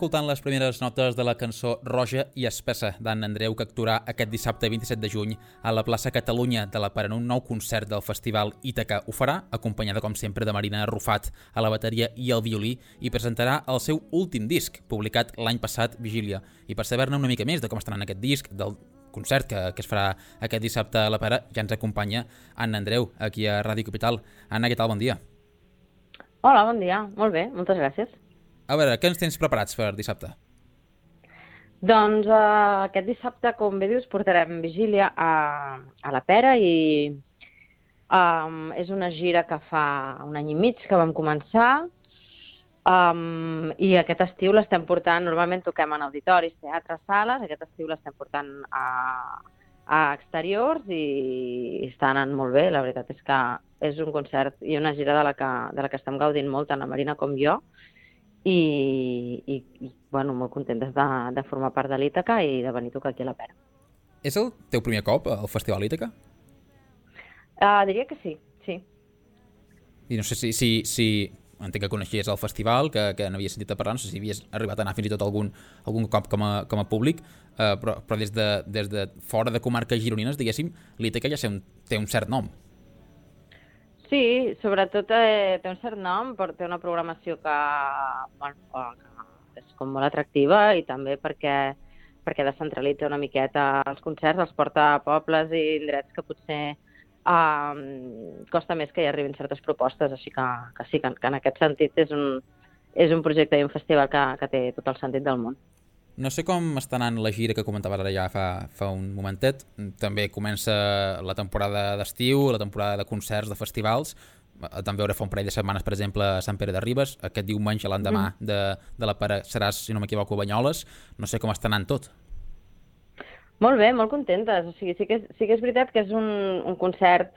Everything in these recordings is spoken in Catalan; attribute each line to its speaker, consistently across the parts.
Speaker 1: escoltant les primeres notes de la cançó Roja i Espessa d'Anna Andreu, que actuarà aquest dissabte 27 de juny a la plaça Catalunya de la Pera en un nou concert del Festival Ítaca. Ho farà acompanyada, com sempre, de Marina Rufat a la bateria i al violí i presentarà el seu últim disc, publicat l'any passat, Vigília. I per saber-ne una mica més de com està anant aquest disc, del concert que es farà aquest dissabte a la Pera, ja ens acompanya Anna Andreu, aquí a Ràdio Capital. Anna, què tal? Bon dia.
Speaker 2: Hola, bon dia. Molt bé, moltes gràcies.
Speaker 1: A veure, què ens tens preparats per dissabte?
Speaker 2: Doncs aquest dissabte, com bé dius, portarem Vigília a la Pera i és una gira que fa un any i mig que vam començar i aquest estiu l'estem portant, normalment toquem en auditoris, teatres, sales, aquest estiu l'estem portant a exteriors i està anant molt bé. La veritat és que és un concert i una gira de la que estem gaudint molt, tant la Marina com jo, i bueno, molt contentes de formar part de l'Ítaca i de venir a tocar aquí a la Pera.
Speaker 1: És el teu primer cop al Festival Ítaca?
Speaker 2: Diria que sí, sí.
Speaker 1: I no sé si entenc que coneixies el festival, que n'havies sentit a parlar, no sé si havies arribat a anar fins i tot algun cop com a públic, però des de fora de comarques gironines, diguéssim, l'Ítaca ja té un cert nom.
Speaker 2: Sí, sobretot té un cert nom, però té una programació que és com molt atractiva i també perquè descentralitza una miqueta els concerts, els porta a pobles i indrets que potser costa més que hi arribin certes propostes, així que sí, que en aquest sentit és un projecte i un festival que té tot el sentit del món.
Speaker 1: No sé com està anant la gira que comentaves ara ja fa un momentet. També comença la temporada d'estiu, la temporada de concerts, de festivals. També veure fa un parell de setmanes, per exemple, a Sant Pere de Ribes. Aquest diumenge, l'endemà de la Pera, seràs, si no m'equivoco, a Banyoles. No sé com està anant tot.
Speaker 2: Molt bé, molt contentes. O sigui, sí que és veritat que és un concert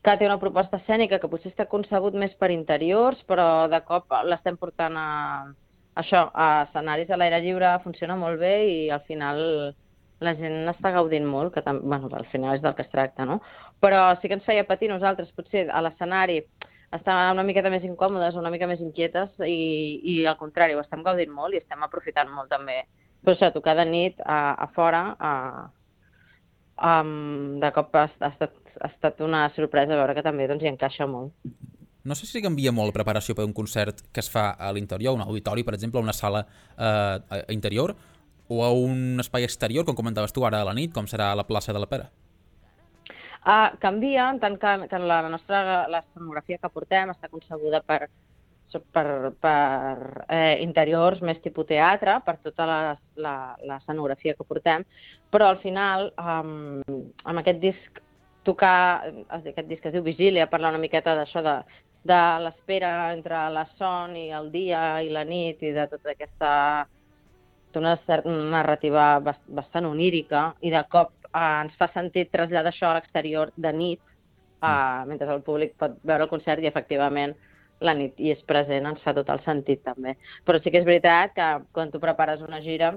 Speaker 2: que té una proposta escènica que potser està concebut més per interiors, però de cop l'estem portant a escenaris a l'aire lliure, funciona molt bé i al final la gent està gaudint molt, que bueno, al final és del que es tracta, no? Però sí que ens feia patir nosaltres, potser a l'escenari estem una miqueta més incòmodes, una mica més inquietes i al contrari, ho estem gaudint molt i estem aprofitant molt també. Però això, tocar de nit a fora, de cop ha estat una sorpresa veure que també doncs, hi encaixa molt.
Speaker 1: No sé si canvia molt la preparació per un concert que es fa a l'interior, un auditori, per exemple, a una sala interior, o a un espai exterior, com comentaves tu ara a la nit, com serà a la plaça de la Pera?
Speaker 2: Canvia, en tant que l'escenografia que portem està concebuda per interiors més tipus teatre, per tota l'escenografia que portem, però al final, amb aquest disc, aquest disc que es diu Vigília, parla una miqueta d'això de l'espera entre la son i el dia i la nit i de tota aquesta una certa narrativa bastant onírica i de cop ens fa sentit traslladar això a l'exterior de nit mentre el públic pot veure el concert i efectivament la nit hi és present, ens fa tot el sentit també. Però sí que és veritat que quan tu prepares una gira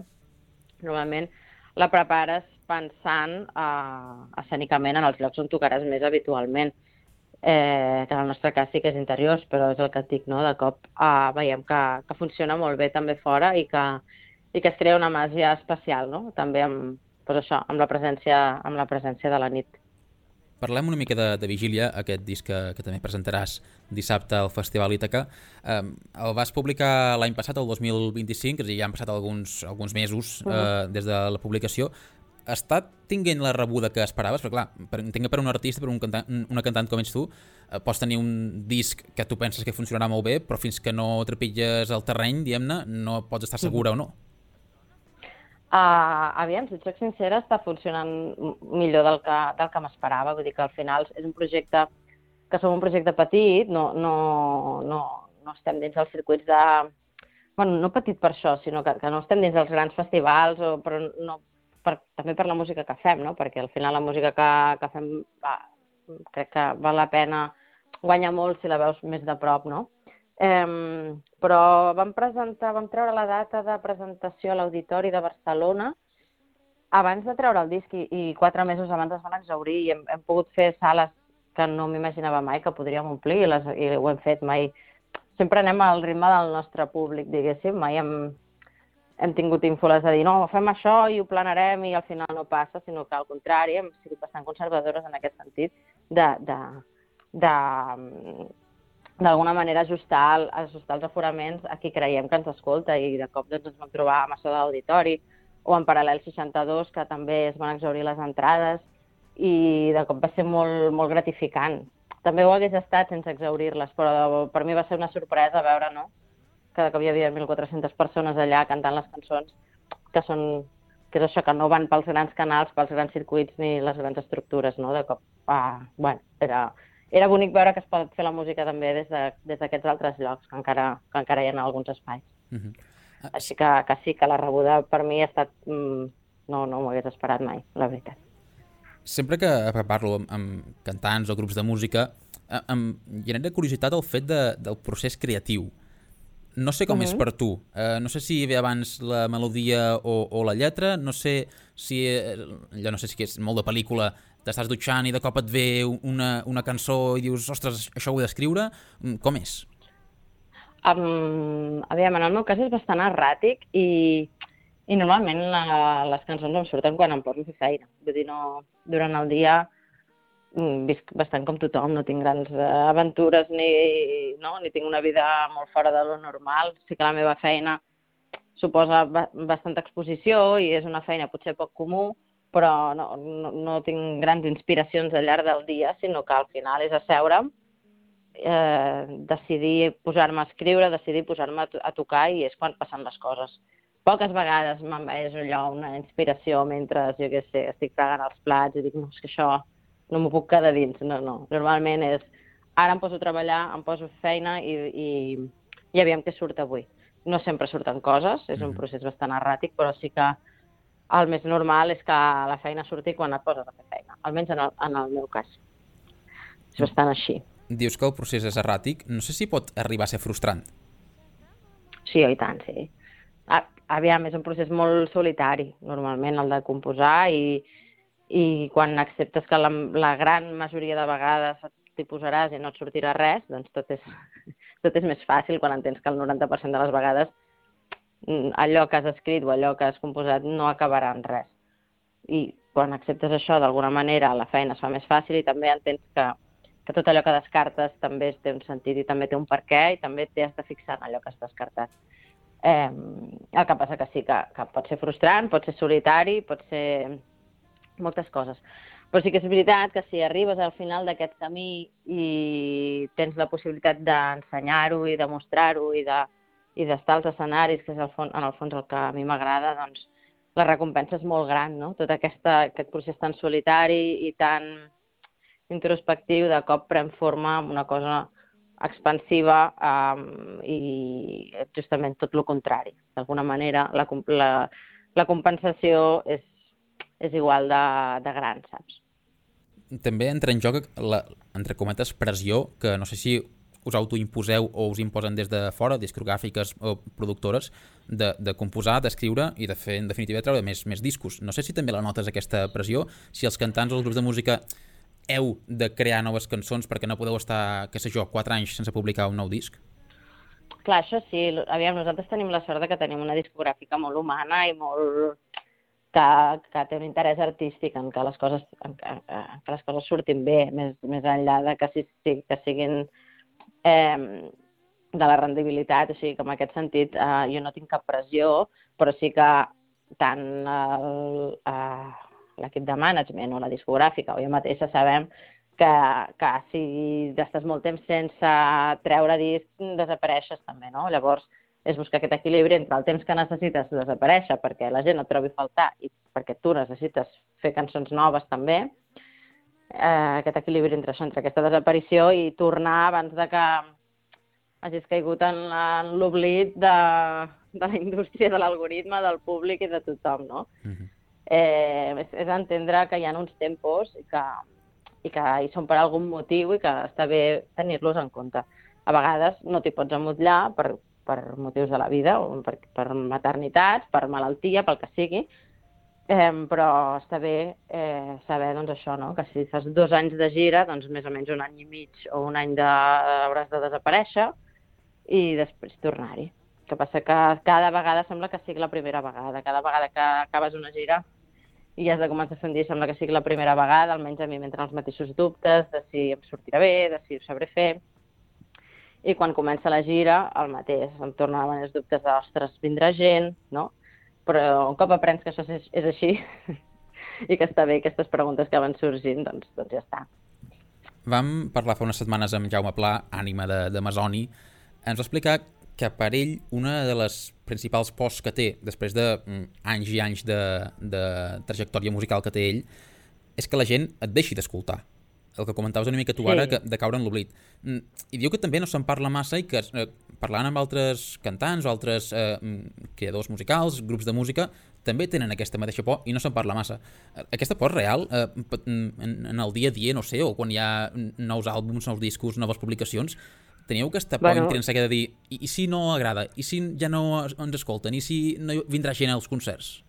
Speaker 2: normalment la prepares pensant escènicament en els llocs on tocaràs més habitualment. Que en el nostre cas sí que és interiors, però és el que et dic, no? De cop veiem que funciona molt bé també fora i que es crea una màgia especial, no? També amb la presència de la nit.
Speaker 1: Parlem una mica de Vigília, aquest disc que també presentaràs dissabte al Festival Ítaca. El vas publicar l'any passat, el 2025, és a dir, ja han passat alguns mesos des de la publicació. Està tinguent la rebuda que esperaves? Perquè clar, entenc que per un artista, per una cantant com ets tu, pots tenir un disc que tu penses que funcionarà molt bé, però fins que no trepitges el terreny, diguem-ne, no pots estar segura o no.
Speaker 2: Aviam, si et soc sincera, està funcionant millor del que m'esperava. Vull dir que al final és un projecte que som un projecte petit, no estem dins dels circuits de... Bueno, no petit per això, sinó que no estem dins dels grans festivals, però no, també per la música que fem, no? Perquè al final la música que fem crec que val la pena, guanya molt si la veus més de prop, no? Però vam treure la data de presentació a l'Auditori de Barcelona abans de treure el disc i 4 mesos abans es van exhaurir i hem pogut fer sales que no m'imaginava mai que podríem omplir i ho hem fet mai. Sempre anem al ritme del nostre públic, diguéssim, mai hem tingut ínfoles de dir no, fem això i ho planarem i al final no passa, sinó que al contrari, hem sigut bastant conservadores en aquest sentit d'alguna manera ajustar els aforaments a qui creiem que ens escolta i de cop doncs, ens vam trobar amb això de l'auditori o en Paral·lel 62, que també es van exhaurir les entrades i de cop va ser molt, molt gratificant. També ho hagués estat sense exhaurir-les, però per mi va ser una sorpresa veure, no?, que de cop hi havia 1.400 persones allà cantant les cançons, que és això, que no van pels grans canals, pels grans circuits ni les grans estructures, no? De cop, bueno, era bonic veure que es pot fer la música també des d'aquests altres llocs, que encara hi ha alguns espais. Així que sí, que la rebuda per mi ha estat... No m'ho hagués esperat mai, la veritat.
Speaker 1: Sempre que parlo amb cantants o grups de música, em genera curiositat el fet del procés creatiu. No sé com és per tu. No sé si ve abans la melodia o la lletra, no sé si és molt de pel·lícula, t'estàs dutxant i de cop et ve una cançó i dius, ostres, això ho he d'escriure. Com és?
Speaker 2: Aviam, en el meu cas és bastant erràtic i normalment les cançons em surten quan em poso a fer feina. Vull dir, no, durant el dia visc bastant com tothom, no tinc grans aventures ni tinc una vida molt fora de lo normal. Sí que la meva feina suposa bastanta exposició i és una feina potser poc comú, però no tinc grans inspiracions al llarg del dia, sinó que al final és asseure'm, decidir posar-me a escriure, decidir posar-me a tocar i és quan passen les coses. Poques vegades m'envaeix allò una inspiració mentre, jo què sé, estic fregant els plats i dic, no, és que això no m'ho puc quedar dins, no. Normalment és, ara em poso a treballar, em poso a fer feina i aviam què surt avui. No sempre surten coses, és un procés bastant erràtic, però sí que el més normal és que la feina surti quan et poses a fer feina, almenys en el meu cas. És bastant així.
Speaker 1: Dius que el procés és erràtic, no sé si pot arribar a ser frustrant.
Speaker 2: Sí, i tant, sí. Aviam, és un procés molt solitari, normalment, el de composar i quan acceptes que la gran majoria de vegades t'hi posaràs i no et sortirà res, doncs tot és més fàcil quan entens que el 90% de les vegades allò que has escrit o allò que has composat no acabarà en res. I quan acceptes això, d'alguna manera, la feina es fa més fàcil i també entens que tot allò que descartes també té un sentit i també té un perquè i també t'has de fixar en allò que has descartat. El que passa que sí, que pot ser frustrant, pot ser solitari, pot ser moltes coses. Però sí que és veritat que si arribes al final d'aquest camí i tens la possibilitat d'ensenyar-ho i de mostrar-ho i d'estar als escenaris, que és en el fons el que a mi m'agrada, doncs la recompensa és molt gran, no? Tot aquest procés tan solitari i tan introspectiu de cop pren forma amb una cosa expansiva i justament tot el contrari. D'alguna manera, la compensació és igual de gran, saps?
Speaker 1: També entra en joc la, entre cometes, pressió, que no sé si us autoimposeu o us imposen des de fora, discogràfiques o productores, de composar, d'escriure i de fer, en definitiva, treure més discos. No sé si també la notes, aquesta pressió, si els cantants o els grups de música heu de crear noves cançons perquè no podeu estar, què sé jo, 4 anys sense publicar un nou disc?
Speaker 2: Clar, això sí. Aviam, nosaltres tenim la sort que tenim una discogràfica molt humana i molt... que té un interès artístic en que les coses surtin bé, més enllà de que siguin de la rendibilitat. O sigui que en aquest sentit jo no tinc cap pressió, però sí que tant l'equip de management o la discogràfica o jo mateixa sabem que si estàs molt temps sense treure disc desapareixes també, no? Llavors és buscar aquest equilibri entre el temps que necessites desaparèixer perquè la gent et trobi a faltar i perquè tu necessites fer cançons noves també, aquest equilibri entre això, entre aquesta desaparició i tornar abans de que hagis caigut en l'oblit de la indústria, de l'algoritme, del públic i de tothom, no? És entendre que hi ha uns tempos i que hi són per algun motiu i que està bé tenir-los en compte. A vegades no t'hi pots emmotllar per motius de la vida, o per maternitats, per malaltia, pel que sigui, però està bé saber doncs, això, no? Que si fas 2 anys de gira, doncs més o menys 1 any i mig o 1 any hauràs de desaparèixer i després tornar-hi. que passa que cada vegada sembla que sigui la primera vegada. Cada vegada que acabes una gira i has de començar a sentir, sembla que sigui la primera vegada, almenys a mi m'entren els mateixos dubtes de si em sortirà bé, de si ho sabré fer. I quan comença la gira, el mateix, em tornaven els dubtes de, ostres, vindrà gent, no? Però un cop aprens que això és així i que està bé, aquestes preguntes que van sorgint, doncs ja està.
Speaker 1: Vam parlar fa unes setmanes amb Jaume Pla, ànima de Masoni. Ens va explicar que per ell una de les principals pors que té, després d'anys i anys de trajectòria musical que té ell, és que la gent et deixi d'escoltar. El que comentaves una mica tu ara, de caure en l'oblit. I diu que també no se'n parla massa i que parlant amb altres cantants o altres creadors musicals, grups de música, també tenen aquesta mateixa por i no se'n parla massa. Aquesta por real, en el dia a dia, no sé, o quan hi ha nous àlbums, nous discos, noves publicacions, teniu aquesta por intrínseca de dir i si no agrada, i si ja no ens escolten, i si no vindrà gent als concerts?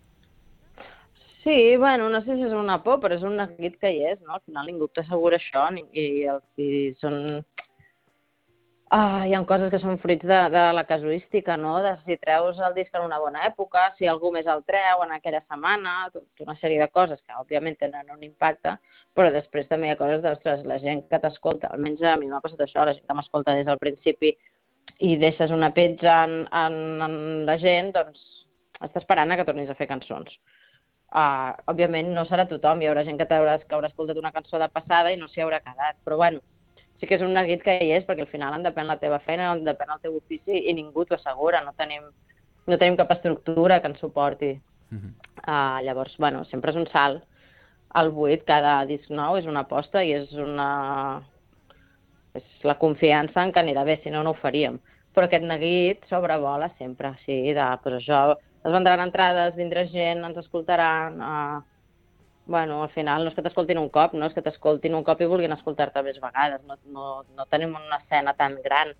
Speaker 2: Sí, bueno, no sé si és una por, però és un neguit que hi és, no? Al final ningú t'assegura això i són... hi ha coses que són fruits de la casuística, no? De si treus el disc en una bona època, si algú més el treu en aquella setmana, una sèrie de coses que òbviament tenen un impacte, però després també hi ha coses d'ostres, la gent que t'escolta, almenys a mi m'ha passat això, la gent que m'escolta des del principi i deixes una petja en la gent, doncs està esperant a que tornis a fer cançons. Òbviament no serà tothom, hi haurà gent que haurà escoltat una cançó de passada i no s'hi haurà quedat, però bueno, sí que és un neguit que hi és, perquè al final en depèn la teva feina, en depèn el teu ofici i ningú t'ho assegura, no tenim cap estructura que ens suporti. Llavors, bueno, sempre és un salt al buit, cada disc nou és una aposta i és la confiança en que anirà bé, si no, no ho faríem. Però aquest neguit sobrevola sempre, sí, doncs això... Es vendran entrades, vindrà gent, ens escoltaran... Bueno, al final no és que t'escoltin un cop, no? És que t'escoltin un cop i vulguin escoltar-te més vegades. No tenim una escena tan gran.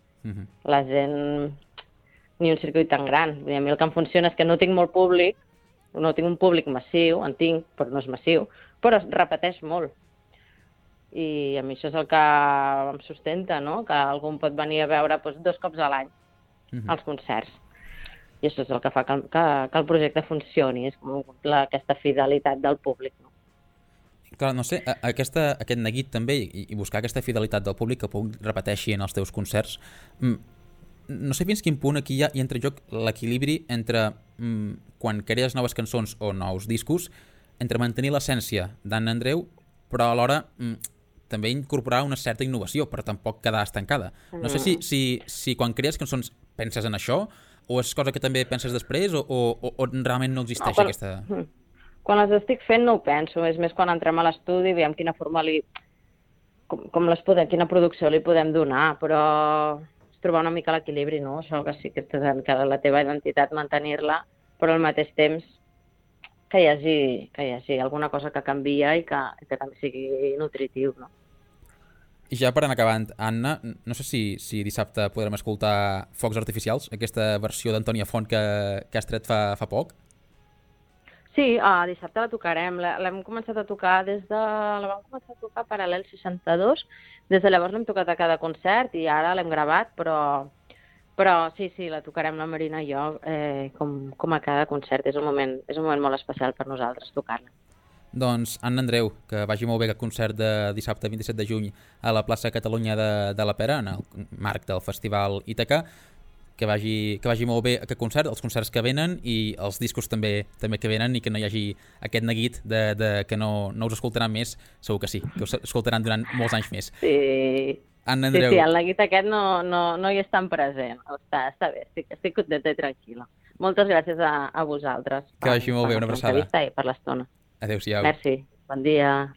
Speaker 2: La gent... Ni un circuit tan gran. A mi el que em funciona és que no tinc molt públic, no tinc un públic massiu, en tinc, però no és massiu, però es repeteix molt. I a mi això és el que em sustenta, no? Que algú pot venir a veure 2 cops a l'any als concerts. I això és el que fa que el projecte funcioni, és com aquesta fidelitat del públic. No?
Speaker 1: Clar, no sé, aquest neguit també i buscar aquesta fidelitat del públic que repeteixi en els teus concerts, no sé fins quin punt aquí hi entra en joc l'equilibri entre quan crees noves cançons o nous discos, entre mantenir l'essència d'Anna Andreu, però alhora també incorporar una certa innovació, però tampoc quedar estancada. No sé si quan crees cançons penses en això, o és cosa que també penses després o realment no existeix aquesta...
Speaker 2: Quan les estic fent no ho penso, és més quan entrem a l'estudi i veiem quina forma quina producció li podem donar, però és trobar una mica l'equilibri, no? Això que sí que la teva identitat mantenir-la, però al mateix temps que hi hagi alguna cosa que canvia i que també sigui nutritiu, no?
Speaker 1: I ja per anar acabant, Anna, no sé si dissabte podrem escoltar Focs Artificials, aquesta versió d'Antònia Font que has tret fa poc?
Speaker 2: Sí, dissabte la tocarem. L'hem començat a tocar la vam començar a tocar Paral·lel 62. Des de llavors l'hem tocat a cada concert i ara l'hem gravat, però sí, la tocarem la Marina i jo com a cada concert. És un moment molt especial per nosaltres tocar-la.
Speaker 1: Doncs, Anna Andreu, que vagi molt bé aquest concert de dissabte 27 de juny a la plaça Catalunya de la Pera, en el marc del Festival Ítaca, que vagi molt bé aquest concert, els concerts que venen i els discos també que venen i que no hi hagi aquest neguit que no us escoltaran més, segur que sí, que us escoltaran durant molts anys més.
Speaker 2: Sí,
Speaker 1: Anna Andreu.
Speaker 2: Sí, el neguit aquest no hi és tan present, està bé, estic contenta i tranquil·la. Moltes gràcies a vosaltres.
Speaker 1: Que vagi molt bé, una abraçada.
Speaker 2: I per l'estona.
Speaker 1: Adéu-siau.
Speaker 2: Merci, bon dia.